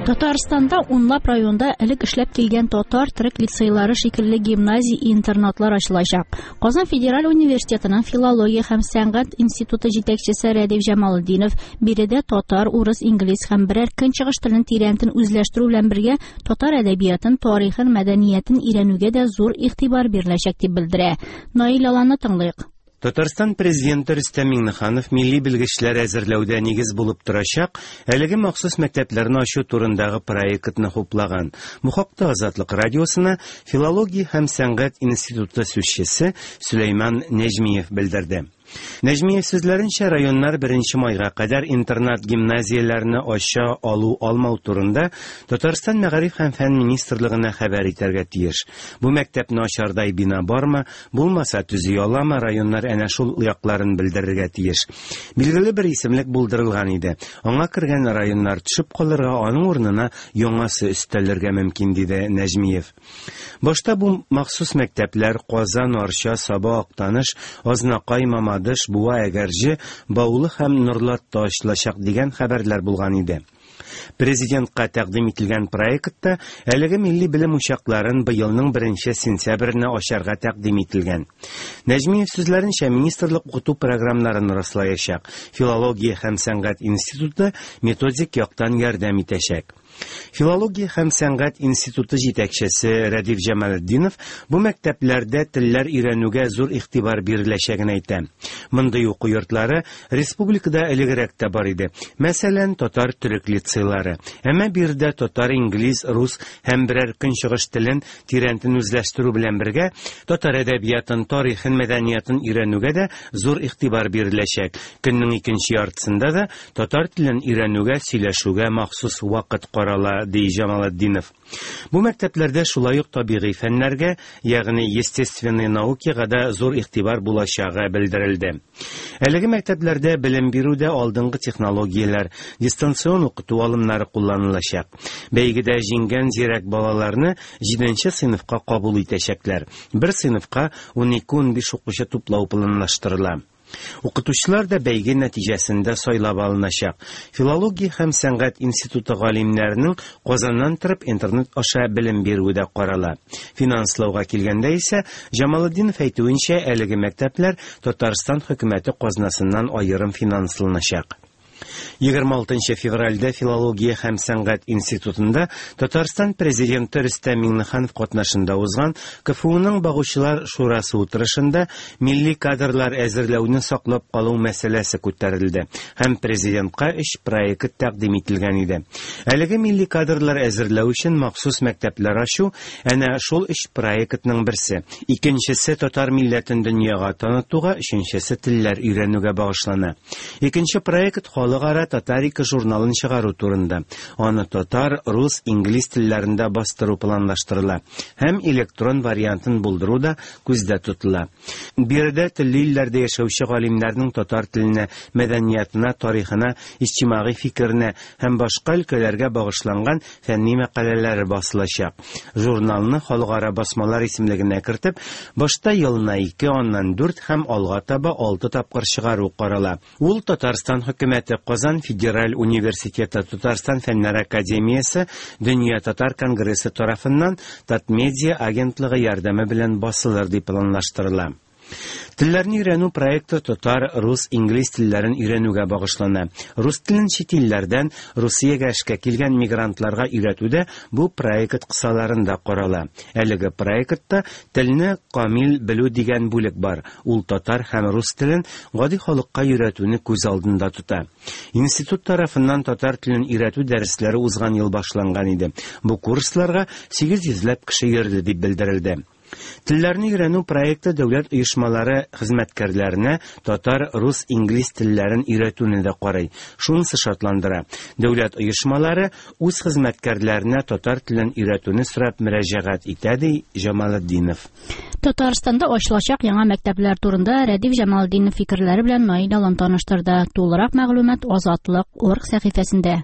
Татарстанда унлап районда элек эшләп килгән татар төрек лицейлары шикелле гимназия-интернатлар ачылачак. Казан федераль университетының филология һәм сәнгать институты җитәкчесе Рәдиф Җамалетдинов биредә татар, урыс, инглиз һәм берәр көнчыгыш телен тирәнтен үзләштерү белән бергә татар әдәбиятын, тарихын, мәдәниятен өйрәнүгә дә зур игътибар биреләчәк дип белдерә. Наил Аланны тыңлыйк. Татарстан Президенты Рөстәм Миңнеханов милли белгечләр әзерләүдә нигез булып торачак әлеге махсус мәктәпләрне ачу турындагы проектны хуплаган. Бу хакта Азатлык радиосына Филология һәм сәнгать институты сүзчесе Сөләйман Нәҗмиев белдерде. Нәҗмиев сүзләренчә, районнар 1 майга кадәр интернат-гимназияләрне ача алу-алмау турында Татарстан Мәгариф һәм фән министрлыгына хәбәр итәргә тиеш. Бу мәктәпне ачардай бина бармы, булмаса төзи аламы, районнар әнә шул якларын белдерергә тиеш. Билгеле бер исемлек булдырылган иде. Аңа кергән районнар төшеп калырга, аның урынына яңасы өстәлергә мөмкин, диде Нәҗмиев. Башта бу махсус мәктәпләр Казан, Арча, Саба, Актаныш, Азнакай, Мамадыш, Буа, Әгерҗе, Баулы һәм Норлатта ачылачак дигән хәбәрләр булган иде. Президентка тәкъдим ителгән проектта әлеге милли белем учакларын быелның 1 сентябренә ачарга тәкъдим ителгән. Нәҗмиев сүзләренчә, министрлык укыту програмнарын раслаячак, филология һәм сәнгать институты методик яктан ярдәм итәчәк. Филология һәм сәнгать институты җитәкчесе Рәдиф Җамалетдинов бу мәктәпләрдә телләр өйрәнүгә зур игътибар биреләчәген әйтә. Мондый уку йортлары республикада элегрәк тә бар иде. Мәсәлән, татар-төрек лицейлары. Әмма биредә татар, инглиз, рус һәм берәр көнчыгыш телен тирәнтен үзләштерү белән бергә, татар әдәбиятын, тарихын, мәдәниятын өйрәнүгә дә зур игътибар биреләчәк. Көннең икенче яртысында да татар телен өйрәнүгә, сөйләшүгә махсус вакыт карала, ди Җамалетдинов. Бу мәктәпләрдә шулай ук табигый фәннәргә, ягъни естественные наукига да зур игътибар булачагы белдерелде. Әлеге мәктәпләрдә белем бирүдә алдынгы технологияләр, дистанцион укыту алымнары кулланылачак. Бәйгедә җиңгән зирәк балаларны 7 сыйныфка кабул итәчәкләр. Бер сыйныфка 12-15 укучы туплау планлаштырыла. Укытучылар да бәйге нәтиҗәсендә сайлап алыначак. Филология һәм сәнгать институты галимнәренең Казаннан торып интернет аша белем бирүе дә карала. Финанслауга килгәндә исә, Җамалетдинов әйтүенчә, әлеге мәктәпләр Татарстан хөкүмәте казнасыннан аерым финансланачак. 26 февральдә Филология һәм сәнгать институтында Татарстан президенты Рөстәм Миңнеханов катнашында узган КФУның багучылар шурасы утырышында милли кадрлар әзерләүне саклап калу мәсьәләсе күтәрелде һәм президентка өч проект тәкъдим ителгән иде. Әлеге милли кадрлар әзерләү өчен махсус мәктәпләр ачу әнә шул өч проектның берсе. Икенчесе татар милләтен дөньяга танытуга, өченчесе телләр өйрәнүгә багышлана. Икенче проект халыкара Татарика журналын чыгару турында. Аны татар, рус, инглиз телләрендә бастыру планлаштырыла һәм электрон вариантын булдыру да күздә тотыла. Биредә төрле илләрдә яшәүче галимнәрнең татар теленә, мәдәниятына, тарихына, иҗтимагый фикеренә һәм башка өлкәләргә багышланган фәнни мәкаләләре басылачак. Журналны халыкара басмалар исемлегенә кертеп, башта елына 2, аннан 4 һәм алга таба 6 тапкыр чыгару карала. Ул Татарстан хөкүмәте, Казан федераль университеты, Татарстан фәннәр академиясе, Дөнья татар конгрессы тарафыннан Татмедиа агентлыгы ярдәме белән басылыр дип планлаштырыла. Телләрне өйрәнү проекты татар, рус, инглиз телләрен өйрәнүгә багышлана. Рус телен чит илләрдән Русиягә эшкә килгән мигрантларга өйрәтү дә бу проект кысаларында карала. Әлеге проектта телне камил белү дигән бүлек бар. Ул татар һәм рус телен гади халыкка өйрәтүне күз алдында тота. Институт тарафыннан татар телен өйрәтү дәресләре узган ел башланган иде. Бу курсларга 800 ләп кеше йөрде дип белдерелде. Телләрне өйрәнү проекты дәүләт оешмалары хезмәткәрләренә татар, рус, инглиз телләрен өйрәтүне дә карый. Шунысы шатландыра. Дәүләт оешмалары үз хезмәткәрләренә татар телен өйрәтүне сорап мөрәҗәгать итә, ди Җамалетдинов. Татарстанда ачылачак яңа мәктәпләр турында Рәдиф Җамалетдинов фикерләре белән Наил Алан таныштырды. Тулырак мәгълүмат Азатлык орг сәхифәсендә.